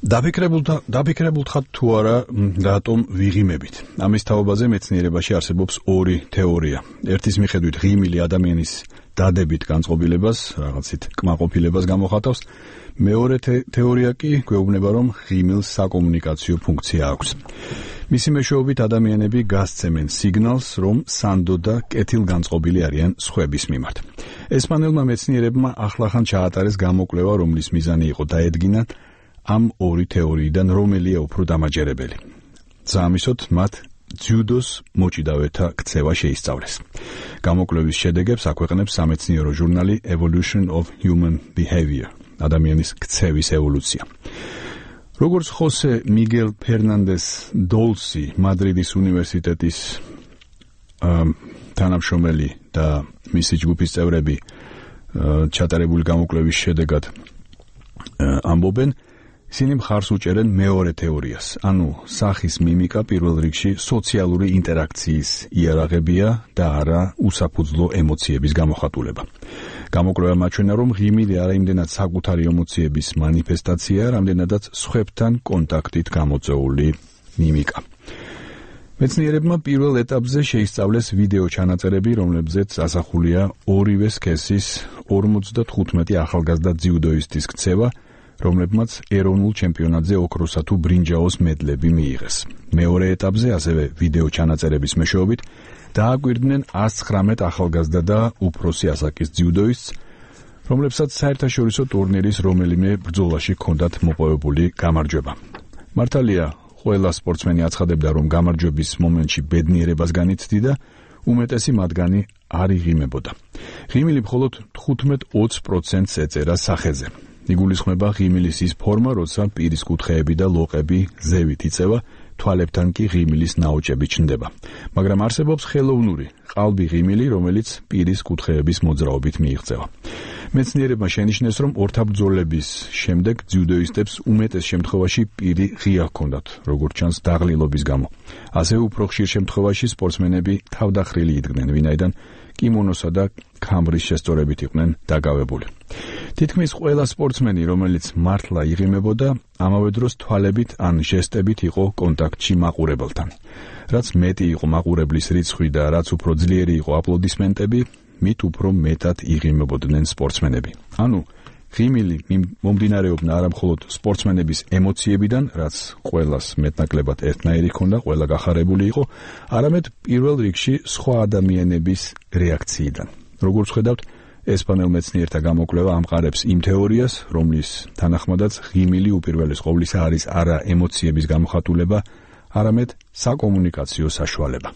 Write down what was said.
დაფიქრებულთ თუ არა რატომ ვიღიმებით. ამის თაობაზე მეცნიერებაში არსებობს ორი თეორია. ერთის მიხედვით ღიმილი ადამიანის დადებით განწყობილებას, რაღაცით კმაყოფილებას გამოხატავს. მეორე თეორია კი გვეუბნება, რომ ღიმილს საკომუნიკაციო ფუნქცია აქვს. მისი მეშვეობით ადამიანები გასცემენ სიგნალს, რომ სანდო და კეთილგანწყობილი არიან სხვების მიმართ. ესპანელმა მეცნიერებმა ახლახან ჩაატარეს გამოკვლევა, რომლის მიზანი იყო დაედგინან ამ ორი თეორიიდან რომელია უფრო დამაჯერებელი. სამისოთ მათ ძიუდოს მოჭიდავეთა ქცევა შეისწავლეს. გამოკვლევის შედეგებს აქვეყნებს სამეცნიერო ჟურნალი Evolution of Human Behavior, ადამიანის ქცევის ევოლუცია. როგორც ხოსე მიგელ ფერნანდეს დოლსი, მადრიდის უნივერსიტეტის თანამშრომელი და მისი ჯგუფის წევრები ჩატარებული გამოკვლევის შედეგად ამბობენ, ისინი მხარს უჭერენ მეორე თეორიას, ანუ სახის მიმიკა პირველ რიგში სოციალური ინტერაქციის იარაღებია და არა უსაფუძვლო ემოციების გამოხატულება. გამოკვლევამ აჩვენა, რომ ღიმილი არა იმდენად საკუთარი ემოციების მანიფესტაციაა, რამდენადაც სხვებთან კონტაქტით გამოწვეული მიმიკა. მეცნიერებმა პირველ ეტაპზე შეისწავლეს ვიდეო ჩანაწერები, რომლებზეც ასახულია ორივე სქესის 55 ახალგაზრდა ძიუდოისტის ქცევა, რომლებმაც ეროვნულ ჩემპიონატზე ოქროსა თუ ბრინჯაოს მედლები მიიღეს. მეორე ეტაპზე, ასევე ვიდეო ჩანაწერების მეშვეობით, დააკვირდნენ 119 ახალგაზრდა და უფროსი ასაკის ძიუდოისტს, რომლებსაც საერთაშორისო ტურნირის რომელიმე ბრძოლაში ჰქონდათ მოპოვებული გამარჯვება. მართალია, ყველა სპორტსმენი აცხადებდა, რომ გამარჯვების მომენტში ბედნიერებას განიცდიდა, უმეტესი მათგანი არ იღიმებოდა. ღიმილი მხოლოდ 15-20%-ს ეწერა სახეზე. იგულისხმება ღიმილის ის ფორმა, როცა პირის კუთხეები და ლოყები ზევით იწევა, თვალებთან კი ღიმილის ნაოჭები ჩნდება. მაგრამ არსებობს ხელოვნური, ყალბი ღიმილი, რომელიც პირის კუთხეების მოძრაობით მიიღწევა. მეცნიერებმა შენიშნეს, რომ ორთაბრძოლების შემდეგ ძიუდოისტებს უმეტეს შემთხვევაში პირი ღია ჰქონდათ, როგორც ჩანს დაღლილობის გამო. ასევე უფრო ხშირ შემთხვევაში სპორტსმენები თავდახრილი იდგნენ, ვინაიდან კიმონოსა და ქამბრის შესწორებით იყვნენ დაკავებული. თითქმის ყველა სპორტსმენი, რომელიც მართლა იღიმებოდა, ამავე დროს თვალებით ან ჟესტებით იყო კონტაქტში მაყურებელთან. რაც მეტი იყო მაყურებლის რიცხვი და რაც უფრო ძლიერი იყო აპლოდისმენტები, მით უფრო მეტად იღიმებოდნენ სპორტსმენები. ანუ ღიმილი მომდინარეობდა არა მხოლოდ სპორტსმენების ემოციებიდან, რაც ყველას მეტნაკლებად ერთნაირი ჰქონდა, ყველა გახარებული იყო, არამედ პირველ რიგში სხვა ადამიანების რეაქციიდან. როგორც ხედავთ, ესპანელ მეცნიერთა გამოკვლევა ამყარებს იმ თეორიას, რომლის თანახმადაც ღიმილი უპირველეს ყოვლისა არის არა ემოციების გამოხატულება, არამედ საკომუნიკაციო საშუალება.